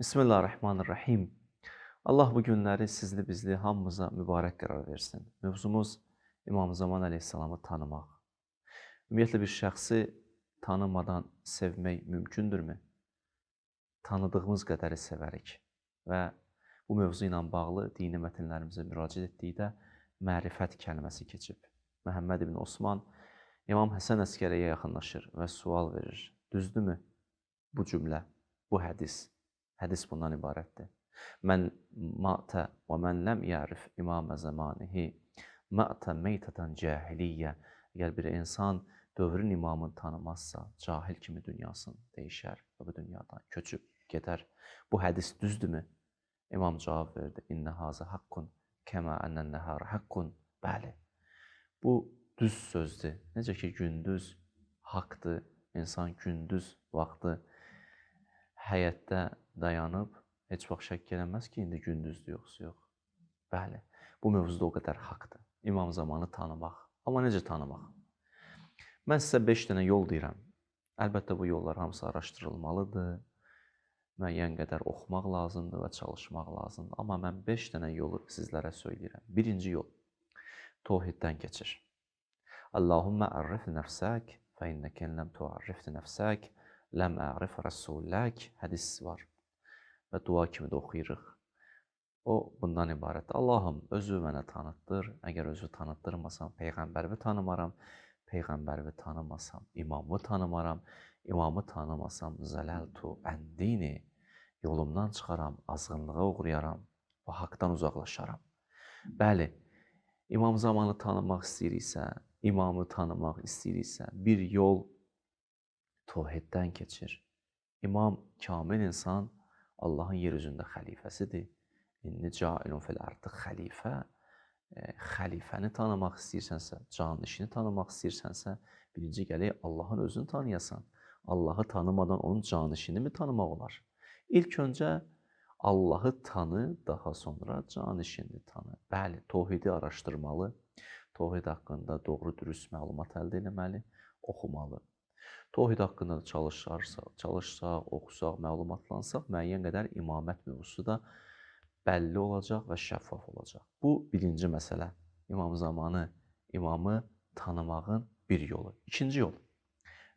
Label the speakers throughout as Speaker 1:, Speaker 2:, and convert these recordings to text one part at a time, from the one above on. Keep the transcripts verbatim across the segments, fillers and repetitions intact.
Speaker 1: Bismillahirrahmanirrahim. Allah bu günləri sizli bizli hamımıza mübarək qərar versin. Mövzumuz İmam Zaman əleyhissalamı tanımaq. Ümumiyyətlə bir şəxsi tanımadan sevmək mümkündürmü? Tanıdığımız qədəri sevərik və bu mövzu ilə bağlı dini mətnlərimizə müraciət etdikdə mərifət kəlməsi keçib. Məhəmməd ibn Osman İmam Həsən Əskəriyə yaxınlaşır və sual verir. Düzdürmü bu cümlə, bu hədis? Hədis bundan ibarətdir. Mən mətə və mən ləm yərif imamə zamanihi mətə meytətən cahiliyyə. Əgər bir insan dövrün imamını tanımazsa, cahil kimi dünyasını dəyişər və bu dünyadan köçüb gedər. Bu hədis düzdürmü? İmam cavab verdi. İnnə hazə haqqun kəmə ənən nəhər haqqun. Bəli, bu düz sözdür. Necə ki, gündüz haqdır, insan gündüz vaxtı həyətdə dayanıb, heç vaxt şəkk eləməz ki, indi gündüzdür, yoxsa yox. Bəli, bu mövzuda o qədər haqdır. İmam zamanı tanımaq. Amma necə tanımaq? Mən sizə beş dənə yol deyirəm. Əlbəttə, bu yollar hamısı araşdırılmalıdır. Müəyyən qədər oxumaq lazımdır və çalışmaq lazımdır. Amma mən beş dənə yolu sizlərə söyləyirəm. Birinci yol, tohiddən keçir. Allahümmə ərrif nəfsək, fə innəkən ləm tuarrifti nəfsək, ləm ərif rəsullək hədis var və dua kimi də oxuyuruq. O, bundan ibarətdir. Allahım, özü mənə tanıtdır. Əgər özü tanıtdırmasam, Peyğəmbərimi tanımaram. Peyğəmbərimi tanımasam, imamı tanımaram. İmamı tanımasam, zələltu əndini. Yolumdan çıxaram, azğınlığa uğrayaram və haqdan uzaqlaşaram. Bəli, imam zamanı tanımaq istəyiriksə, imamı tanımaq istəyiriksə, bir yol tohiddən keçir. İmam kamil insan Allahın yer üzündə xəlifəsidir. İnni cailun fil artıq xəlifə. E, xəlifəni tanımaq istəyirsənsə, canişini tanımaq istəyirsənsə, birinci gələk Allahın özünü tanıyasan. Allahı tanımadan onun canişini mi tanımaq olar? İlk öncə Allahı tanı, daha sonra canişini tanı. Bəli, tohidi araşdırmalı, tohid haqqında doğru dürüst məlumat əldə etməli, oxumalı. Tohid haqqında çalışarsa, çalışsaq, oxusaq, məlumatlansaq, müəyyən qədər imamət mövzusu da bəlli olacaq və şəffaf olacaq. Bu, birinci məsələ. İmam zamanı, imamı tanımağın bir yolu. İkinci yol,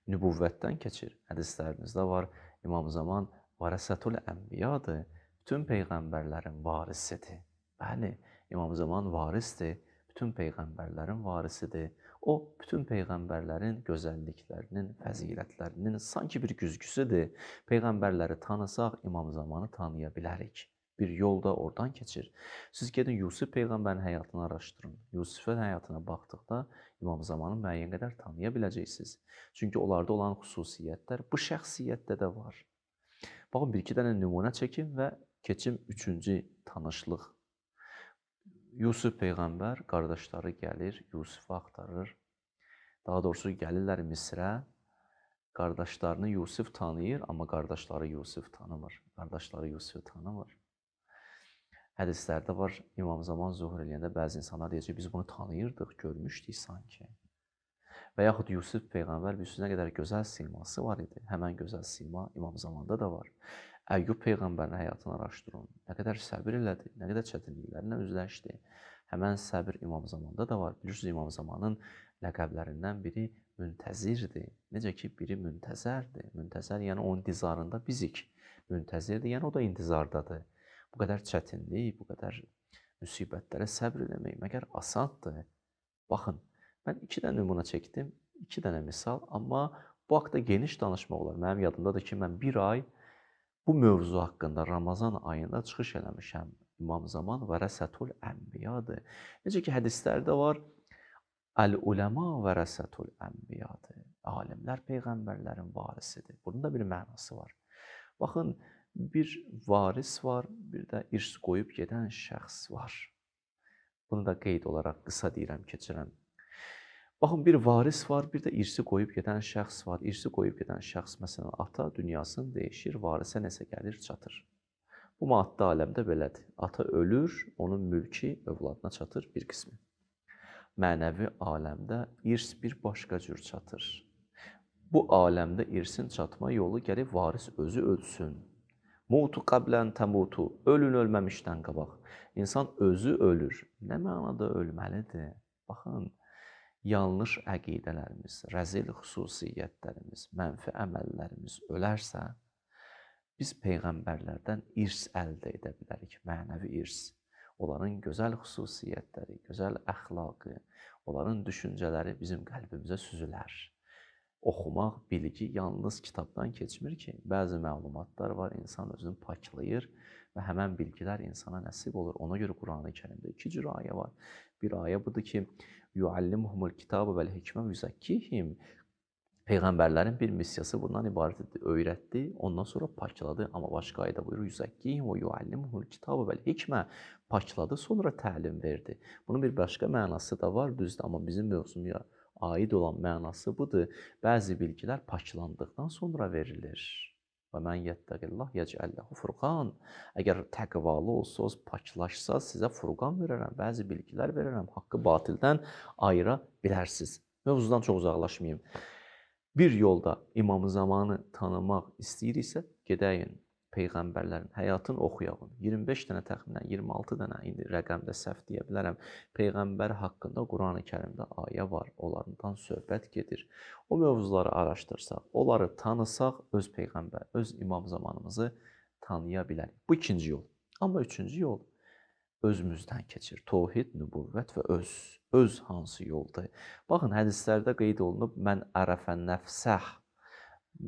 Speaker 1: nübüvvətdən keçir. Hədislərimizdə var, İmam zaman varəsətul ənbiyadır. Bütün peyğəmbərlərin varisidir. Bəli, İmam zaman varisdir. Bütün peyğəmbərlərin varisidir. O, bütün peyğəmbərlərin gözəlliklərinin, fəzilətlərinin sanki bir güzgüsüdür. Peyğəmbərləri tanısaq, İmam zamanı tanıya bilərik. Bir yol da oradan keçir. Siz gedin Yusuf peyğəmbərin həyatını araşdırın. Yusufun həyatına baxdıqda İmam zamanı müəyyən qədər tanıya biləcəksiniz. Çünki onlarda olan xüsusiyyətlər bu şəxsiyyətdə də var. Baxın, bir-iki dənə nümunə çəkin və keçim üçüncü tanışlıq. Yusuf peyğəmbər, qardaşları gəlir, Yusufu axtarır. Daha doğrusu gəlirlər Misrə. Qardaşlarını Yusuf tanıyır, amma qardaşları Yusuf tanımır. Qardaşları Yusufu tanımır. Hədislərdə var, İmam zaman zuhur eləyəndə bəzi insanlar deyəcək, biz bunu tanıyırdıq, görmüşdük sanki. Və yaxud Yusuf peyğəmbər bir sözünə qədər gözəl siması var idi. Həmən gözəl sima İmam zamanda da var. Əyyub peyğəmbərin həyatını araşdırın. Nə qədər səbir elədi, nə qədər çətinliklərlə üzləşdi. Həmən səbir İmam zamanda da var. Bilirsiniz, İmam zamanın ləqəblərindən biri müntəzirdir. Necə ki, biri müntəzərdir. Müntəzər, yəni onun intizarında bizik. Müntəzirdir, yəni o da intizardadır. Bu qədər çətinlik, bu qədər müsibətlərə səbr eləmək məgər asandır. Baxın, mən iki dənə nümunə çəkdim, iki dənə misal, amma bu haqda geniş danışmaq olar. Mənim yadımdadır ki, mən bir ay bu mövzu haqqında Ramazan ayında çıxış eləmişəm. İmam zaman vərəsətul ənbiyadır. Necə ki, hədislərdə var, əl-uləma vərəsətul ənbiyadır. Alimlər peyğəmbərlərin varisidir. Bunun da bir mənası var. Baxın, bir varis var, bir də irs qoyub gedən şəxs var. Bunu da qeyd olaraq qısa deyirəm, keçirəm. Baxın, bir varis var, bir də irsi qoyub gedən şəxs var. İrsi qoyub gedən şəxs, məsələn, ata dünyasını dəyişir, varisə nəsə gəlir, çatır. Bu maddi aləmdə belədir. Ata ölür, onun mülki övladına çatır bir qismi. Mənəvi aləmdə irs bir başqa cür çatır. Bu aləmdə irsin çatma yolu gəlib varis özü ölsün. Mutu qablən təmutu. Ölün ölməmişdən qabaq. İnsan özü ölür. Nə mənada ölməlidir? Baxın, yanlış əqidələrimiz, rəzil xüsusiyyətlərimiz, mənfi əməllərimiz ölərsə, biz peyğəmbərlərdən irs əldə edə bilərik, mənəvi irs. Onların gözəl xüsusiyyətləri, gözəl əxlaqı, onların düşüncələri bizim qəlbimizə süzülər. Oxumaq, bilgi yalnız kitabdan keçmir ki, bəzi məlumatlar var, insan özünü paklayır və həmən bilgilər insana nəsib olur. Ona görə Qurani Kərimdə iki cür ayə var. Bir ayə budur ki, yuallimuhumul kitabı vəl hikmə yüzəkkihim. Peyğəmbərlərin bir missiyası bundan ibarət etdi, öyrətdi, ondan sonra pakladı. Amma başqa ayədə buyurur, yüzəkkihim və yuallimuhumul kitabı vəl hikmə. Pakladı, sonra təlim verdi. Bunun bir başqa mənası da var, düzdür, amma bizim mövzumuya aid olan mənası budur. Bəzi bilgilər paklandıqdan sonra verilir. Və mən yettəqillah yecəlləhu furqan. Əgər təqvalı olsanız, paklaşsanız, sizə furqan verərəm, bəzi bilgilər verərəm, haqqı batildən ayıra bilərsiniz. Mövzudan çox uzaqlaşmayayım. Bir yolda İmam Zamanı tanımaq istəyiriksə, gedəyin Peyğəmbərlərin həyatını oxuyalım. iyirmi beş dənə təxminən, iyirmi altı dənə, indi rəqəmdə səhv deyə bilərəm. Peyğəmbər haqqında Qurani Kərimdə ayə var, onlardan söhbət gedir. O mövzuları araşdırsaq, onları tanısaq, öz Peyğəmbər, öz İmam Zamanımızı tanıya bilərik. Bu ikinci yol. Amma üçüncü yol özümüzdən keçir. Tohid, nübüvvət və öz. Öz hansı yoldur? Baxın, hədislərdə qeyd olunub, mən ərəfə nəfsəh,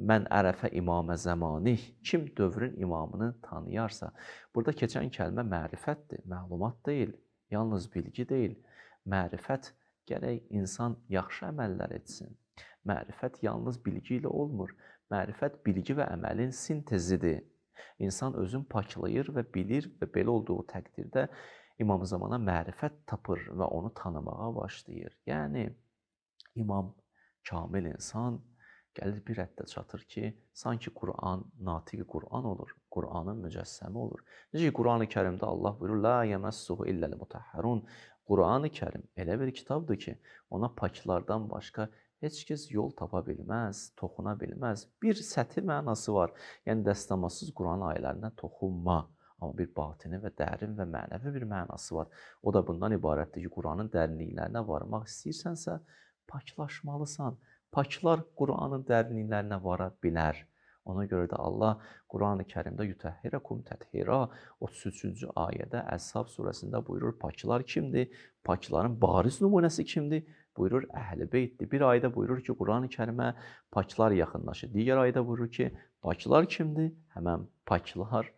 Speaker 1: mən ərəfə imamə zəmanih. Kim dövrün imamını tanıyarsa, burada keçən kəlmə mərifətdir, məlumat deyil, yalnız bilgi deyil. Mərifət gərək insan yaxşı əməllər etsin. Mərifət yalnız bilgi ilə olmur. Mərifət bilgi və əməlin sintezidir. İnsan özünü paklayır və bilir və belə olduğu təqdirdə İmam Zamana mərifət tapır və onu tanımağa başlayır. Yəni, imam, kamil insan gəlir bir həddə çatır ki, sanki Quran, natiq Quran olur, Quranın mücəssəmi olur. Necə ki, Qurani Kərimdə Allah buyurur, la yəməssuhu illəl mutahharun. Qurani Kərim elə bir kitabdır ki, ona paklardan başqa heç kəs yol tapa bilməz, toxuna bilməz. Bir səthi mənası var, yəni dəstəmasız Quran ayələrinə toxunma. Amma bir batini və dərin və mənəvi bir mənası var. O da bundan ibarətdir ki, Quranın dərinliklərinə varmaq istəyirsənsə, paklaşmalısan. Paklar Quranın dərinliklərinə vara bilər. Ona görə də Allah Qurani Kərimdə yutəhhirəkum təthira otuz üçüncü ayədə Əshab surəsində buyurur, paklar kimdir? Pakların bariz nümunəsi kimdir? Buyurur, Əhl-i Beytdir. Bir ayədə buyurur ki, Qurani Kərimə paklar yaxınlaşır. Digər ayədə buyurur ki, paklar kimdir? Həmən paklar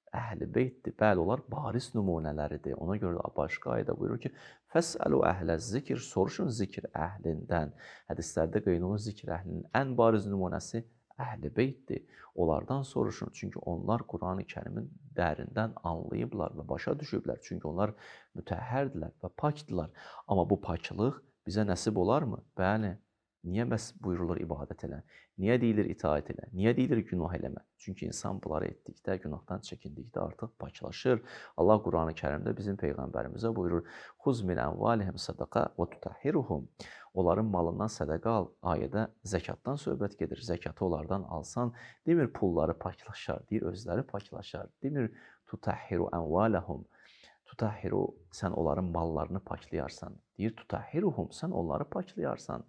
Speaker 1: Əhl-i Beytdir. Bəli, onlar bariz nümunələridir. Ona görə də başqa ayədə buyurur ki, fəsəlu əhləz zikr, soruşun zikr əhlindən. Hədislərdə qeyd olunur, zikr əhlinin ən bariz nümunəsi Əhl-i Beytdir. Onlardan soruşun, çünki onlar Qurani Kərimin dərindən anlayıblar və başa düşüblər. Çünki onlar mütəhhərdirlər və pakdırlar. Amma bu paklıq bizə nəsib olarmı? Bəli. Niyə bəs buyurulur ibadət elə? Niyə deyilir itaət elə? Niyə deyilir günah eləmə? Çünki insan bunları etdikdə, günahdan çəkindikdə artıq paklaşır. Allah Qurani Kərimdə bizim Peyğəmbərimizə buyurur, xuz min əmvalihim sədəqə və tutəhhiruhum. Onların malından sədəqə al. Ayədə zəkatdan söhbət gedir. Zəkatı onlardan alsan, demir pulları paklaşar, deyir özləri paklaşar. Demir tutəhhiru əmvaləhum. Tutəhhiru, sən onların mallarını paklayarsan. Deyir tutəhhiruhum, sən onları paklayarsan.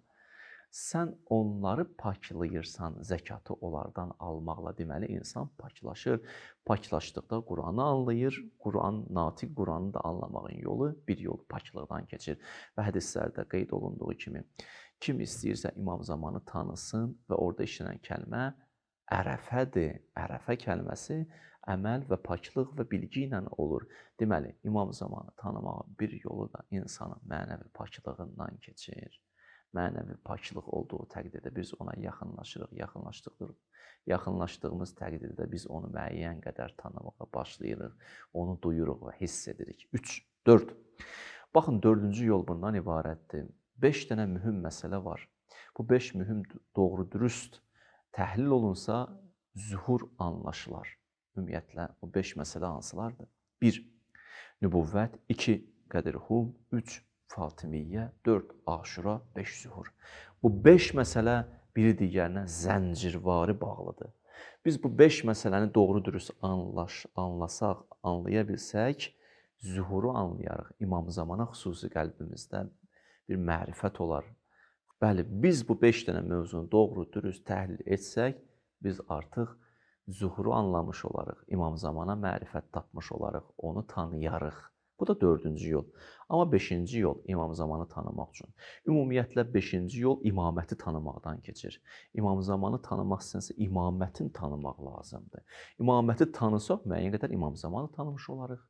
Speaker 1: Sən onları paklayırsan, zəkatı onlardan almaqla, deməli, insan paklaşır. Paklaşdıqda Quranı anlayır, Quran, natiq Quranı da anlamağın yolu bir yol paklıqdan keçir. Və hədislərdə qeyd olunduğu kimi, kim istəyirsə İmam Zamanı tanısın və orada işlənən kəlmə ərəfədir. Ərəfə kəlməsi əməl və paklıq və bilgi ilə olur. Deməli, İmam Zamanı tanımağın bir yolu da insanın mənəvi paklığından keçir. Mənəvi paklıq olduğu təqdirdə biz ona yaxınlaşırıq, yaxınlaşdıq, yaxınlaşdığımız təqdirdə biz onu müəyyən qədər tanımağa başlayırıq, onu duyuruq və hiss edirik. üç, dörd. Baxın, dördüncü yol bundan ibarətdir. beş dənə mühüm məsələ var. Bu beş mühüm doğru dürüst təhlil olunsa, zühur anlaşılar. Ümumiyyətlə, bu beş məsələ hansılardır? bir. Nübüvvət, iki. Qədirhum, üç. Fatimiyyə, dörd. Aşura, beş. Zuhur. Bu beş məsələ biri digərinə zəncirvari bağlıdır. Biz bu beş məsələni doğru dürüst anlaş, anlasaq, anlaya bilsək, zühuru anlayarıq. İmam Zamana xüsusi qəlbimizdə bir mərifət olar. Bəli, biz bu beş dənə mövzunu doğru dürüst təhlil etsək, biz artıq zühuru anlamış olarıq. İmam Zamana mərifət tapmış olarıq, onu tanıyarıq. Bu da dördüncü yol. Amma beşinci yol İmam Zamanı tanımaq üçün. Ümumiyyətlə beşinci yol imaməti tanımaqdan keçir. İmam Zamanı tanımaq istənsə imamətin tanımaq lazımdır. İmaməti tanısaq müəyyən qədər İmam Zamanı tanımış olarıq.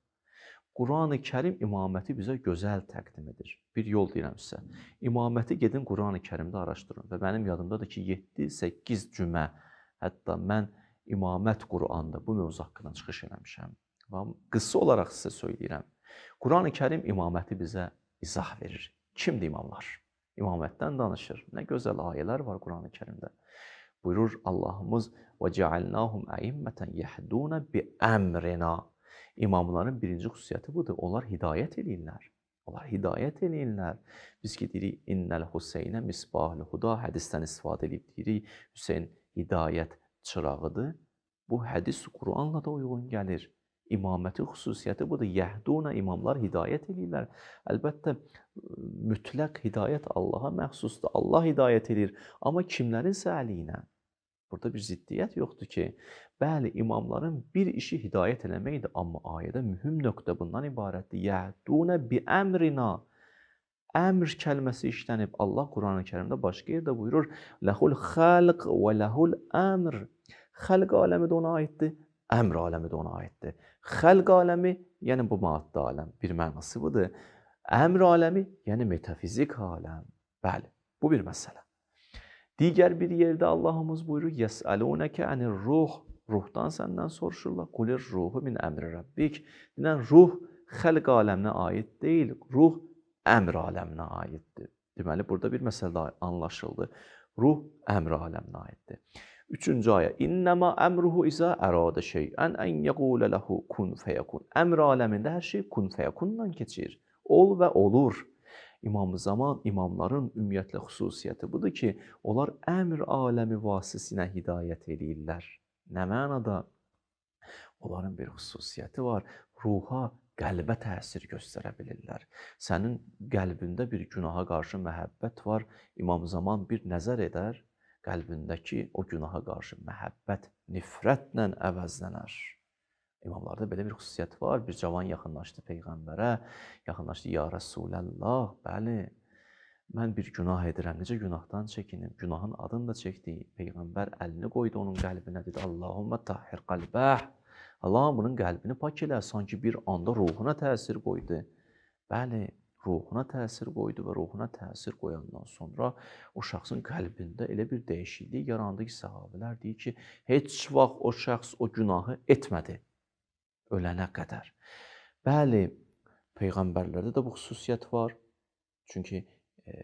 Speaker 1: Qurani Kərim imaməti bizə gözəl təqdim edir. Bir yol deyirəm sizə. İmaməti gedin Qurani Kərimdə araşdırın və mənim yadımdadır ki, yeddi səkkiz cümə, hətta mən İmamət Quranda bu mövzu haqqında çıxış eləmişəm. Qısa olaraq sizə söyləyirəm. Qurani Kərim imaməti bizə izah verir. Kimdir imamlar? İmamətdən danışır. Nə gözəl ayələr var Qurani Kərimdə. Buyurur Allahımız: "Və cealnahum əimmətən yehduna bi əmrina." İmamların birinci xüsusiyyəti budur. Onlar hidayət eləyirlər. Onlar hidayət eləyirlər. Biz ki deyirik, "İnnəl Hüseynə misbahul huda" hədisdən istifadə edib deyirik, Hüseyn hidayət çırağıdır. Bu hədis Quranla da uyğun gəlir. İmamətin xüsusiyyəti budur. Yəhduna, imamlar hidayət eləyirlər. Əlbəttə, mütləq hidayət Allaha məxsusdur. Allah hidayət edir. Amma kimlərinsə əliyinə? Burada bir ziddiyyət yoxdur ki, bəli, imamların bir işi hidayət eləməkdir. Amma ayədə mühüm nöqtə bundan ibarətdir. Yəhduna bi əmrina. Əmr kəlməsi işlənib. Allah Quran-ı Kərimdə başqa yerdə buyurur: "Ləhul xalq və ləhul əmr." Xalq aləmi də ona aiddir, əmr aləmi də ona aiddir. Xalq aləmi, yəni bu maddi aləm, bir mənası budur. Əmr aləmi, yəni metafizik aləm. Bəli, bu bir məsələ. Digər bir yerdə Allahımız buyurur: "Yəsəlunəkə anir-ruh." Ruhdan səndən soruşurlar. "Qulir-ruhu min əmri rabbik." Deyilən ruh xalq aləminə aid deyil, ruh əmr aləminə aiddir. Deməli, burada bir məsələ anlaşıldı. Ruh əmr aləminə aiddir. Üçüncü ayə: "İnnəmə əmruhu izə əradə şeyən ən yəqulə ləhu kun fəyəkun." Əmr aləmində hər şey kun fəyekundan keçir. Ol və olur. İmam Zaman, imamların ümumiyyətlə xüsusiyyəti budur ki, onlar əmr aləmi vasitəsilə hidayət eləyirlər. Nə mənada? Onların bir xüsusiyyəti var. Ruha, qəlbə təsir göstərə bilirlər. Sənin qəlbində bir günaha qarşı məhəbbət var. İmam Zaman bir nəzər edər, qəlbindəki o günaha qarşı məhəbbət nifrətlə əvəzlənər. İmamlarda belə bir xüsusiyyət var. Bir cavan yaxınlaşdı Peyğəmbərə, yaxınlaşdı: "Ya Rəsuləllah, bəli, mən bir günah edirəm, necə günahdan çəkinim?" Günahın adını da çəkdi. Peyğəmbər əlini qoydu onun qəlbinə, dedi: "Allahumma tahhir qalbəh." Allahım bunun qəlbini pak elə, sanki bir anda ruhuna təsir qoydu. Bəli, ruhuna təsir qoydu və ruhuna təsir qoyandan sonra o şəxsin qəlbində elə bir dəyişiklik yarandı ki, səhabələr deyir ki, heç vaxt o şəxs o günahı etmədi ölənə qədər. Bəli, Peyğəmbərlərdə də bu xüsusiyyət var. Çünki e,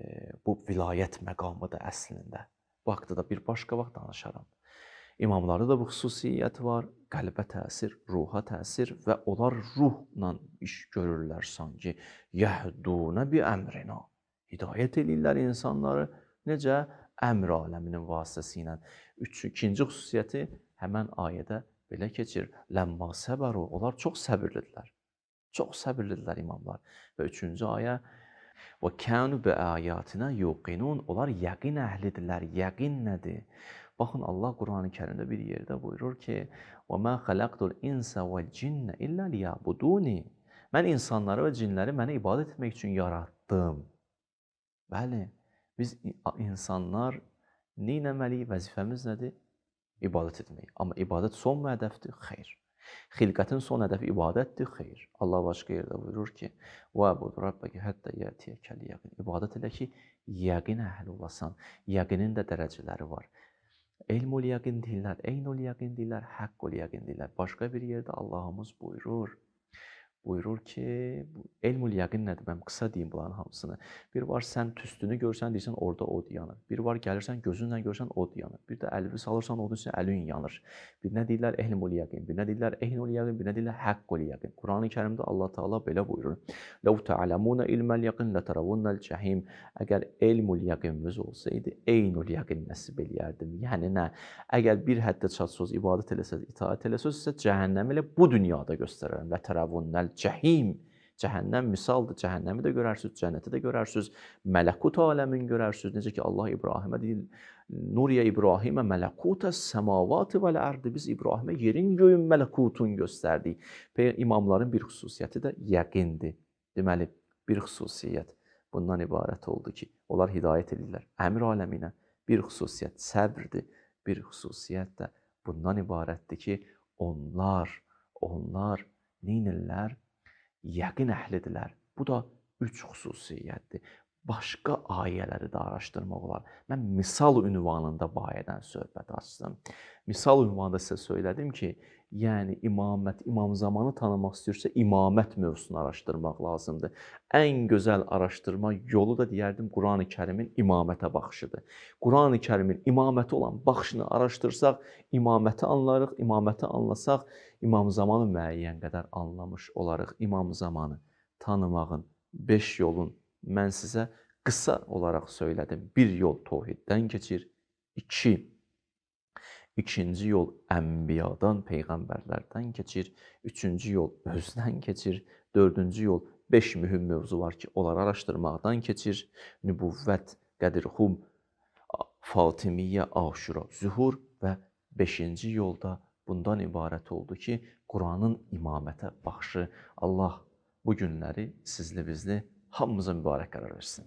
Speaker 1: bu vilayət məqamıdır əslində. Bu haqda da bir başqa vaxt danışaram. İmamlarda da bu xüsusiyyət var. Qəlbə təsir, ruha təsir və onlar ruhla iş görürlər sanki. Yəhduna bi əmrina. Hidayət eləyirlər insanları. Necə? Əmr aləminin vasitəsilə. Üç, ikinci xüsusiyyəti həmən ayədə belə keçir. Ləmma səbəru. Onlar çox səbirlidirlər. Çox səbirlidirlər imamlar. Və üçüncü ayə: "Və kənu bi ayatina yuqinun." Onlar yəqin əhlidirlər. Yəqin nədir? Baxın, Allah Quran-ı Kərimdə bir yerdə buyurur ki: "Və mə xələqtul insə vəl cinnə illə liyəbuduni." Mən insanları və cinləri mənə ibadət etmək üçün yaratdım. Bəli, biz insanlar nə etməliyik? Vəzifəmiz nədir? İbadət etmək. Amma ibadət son mu hədəfdir? Xeyr. Xilqətin son hədəfi ibadətdir? Xeyr. Allah başqa yerdə buyurur ki: "Vəbud rabbəkə həttə yətiyəkəl yəqin." İbadət elə ki, yəqin əhli olasan. Yəqinin də dərəcələri var. Elmul yəqin deyirlər, eynul yəqin deyirlər, haqqul yəqin deyirlər. Başqa bir yerdə Allahımız buyurur: buyurur ki, bu elmül yəqin nədir? Mən qısa deyim bunların hamısını. Bir var sən tüstünü görsən, deyirsən orada od yanır. Bir var gəlirsən gözünlə görsən od yanır. Bir də əlini salırsan odun üçün əlin yanır. Bir nə deyirlər elmül yəqin, bir nə deyirlər eynül yəqin, bir nə deyirlər haqqul yəqin. Qurani Kərimdə Allah Taala belə buyurur. Ləv tə'ləmunə ilməl yəqin lətərəvunnəl cəhim. Əgər elmül yəqininiz olsaydı, eynül yəqin nəsib eləyərdim. Yəni nə? Əgər bir həddə çatsız ibadət eləsəz, itaət eləsəz, sizə cəhənnəmi elə bu dünyada göstərərəm. Və tərəvunnəl cəhim. Cəhənnəm misaldır. Cəhənnəmi də görərsiniz, cənnəti də görərsiniz, mələkut aləmini görərsiniz. Necə ki Allah İbrahimə deyir, Nuriyə İbrahimə mələkutəs səmavati vəl ərdi. Biz İbrahimə yerin göyün mələkutunu göstərdik. İmamların bir xüsusiyyəti də yəqindir. Deməli, bir xüsusiyyət bundan ibarət oldu ki, onlar hidayət edirlər əmr aləminə. Bir xüsusiyyət səbrdir. Bir xüsusiyyət də bundan ibarətdir ki, onlar, onlar neynirlər? Yəqin əhlidirlər. Bu da üç xüsusiyyətdir. Başqa ayələri də araşdırmaq olar. Mən misal ünvanında bu ayədən söhbət açdım. Misal ünvanında sizə söylədim ki, yəni imamət, imam zamanı tanımaq istəyirsə, imamət mövzusunu araşdırmaq lazımdır. Ən gözəl araşdırma yolu da deyərdim, Qurani Kərimin imamətə baxışıdır. Qurani Kərimin imaməti olan baxışını araşdırsaq, imaməti anlarıq, imaməti anlasaq, imam zamanı müəyyən qədər anlamış olarıq. İmam zamanı tanımağın beş yolun mən sizə qısa olaraq söylədim. Bir yol təvhiddən keçir, iki, ikinci yol ənbiyadan, peyğəmbərlərdən keçir, üçüncü yol özdən keçir, dördüncü yol beş mühüm mövzu var ki, onları araşdırmaqdan keçir, nübüvvət, qədir-xum, Fatimiyyə, Aşura, Zühur və beşinci yolda bundan ibarət oldu ki, Quranın imamətə baxışı. Allah bu günləri sizli bizli hamımıza mübarək qərar versin.